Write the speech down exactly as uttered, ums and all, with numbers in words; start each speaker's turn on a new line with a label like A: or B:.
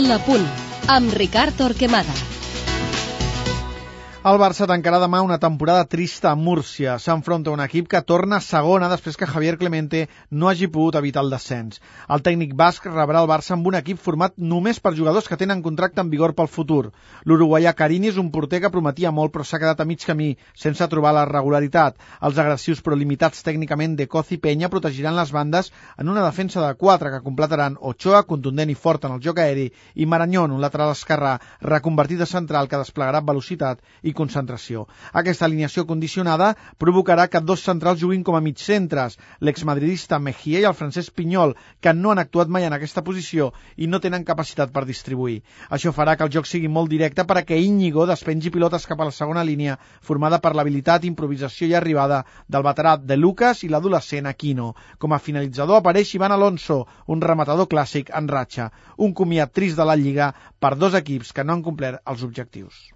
A: La Punt, amb Ricard Torquemada.
B: El Barça tancarà demà una temporada trista a Múrcia. S'enfronta a un equip que torna a segona després que Javier Clemente no hagi pogut evitar el descens. El tècnic basc rebrà el Barça amb un equip format només per jugadors que tenen contracte en vigor pel futur. L'uruguaià Carini és un porter que prometia molt però s'ha quedat a mig camí, sense trobar la regularitat. Els agressius però limitats tècnicament de Coz i Peña protegiran les bandes en una defensa de quatre que completaran Ochoa, contundent i fort en el joc aeri, i Marañón, un lateral esquerrà reconvertit a central que desplegarà velocitat i concentració. Aquesta alineació condicionada provocarà que dos centrals juguin com a mig centres, l'exmadridista Mejía i el francès Pinyol, que no han actuat mai en aquesta posició i no tenen capacitat per distribuir. Això farà que el joc sigui molt directe perquè Íñigo despengi pilotes cap a la segona línia, formada per l'habilitat, improvisació i arribada del veterà De Lucas i l'adolescent Aquino. Com a finalitzador apareix Iván Alonso, un rematador clàssic en ratxa. Un comiat trist de la Lliga per dos equips que no han complert els objectius.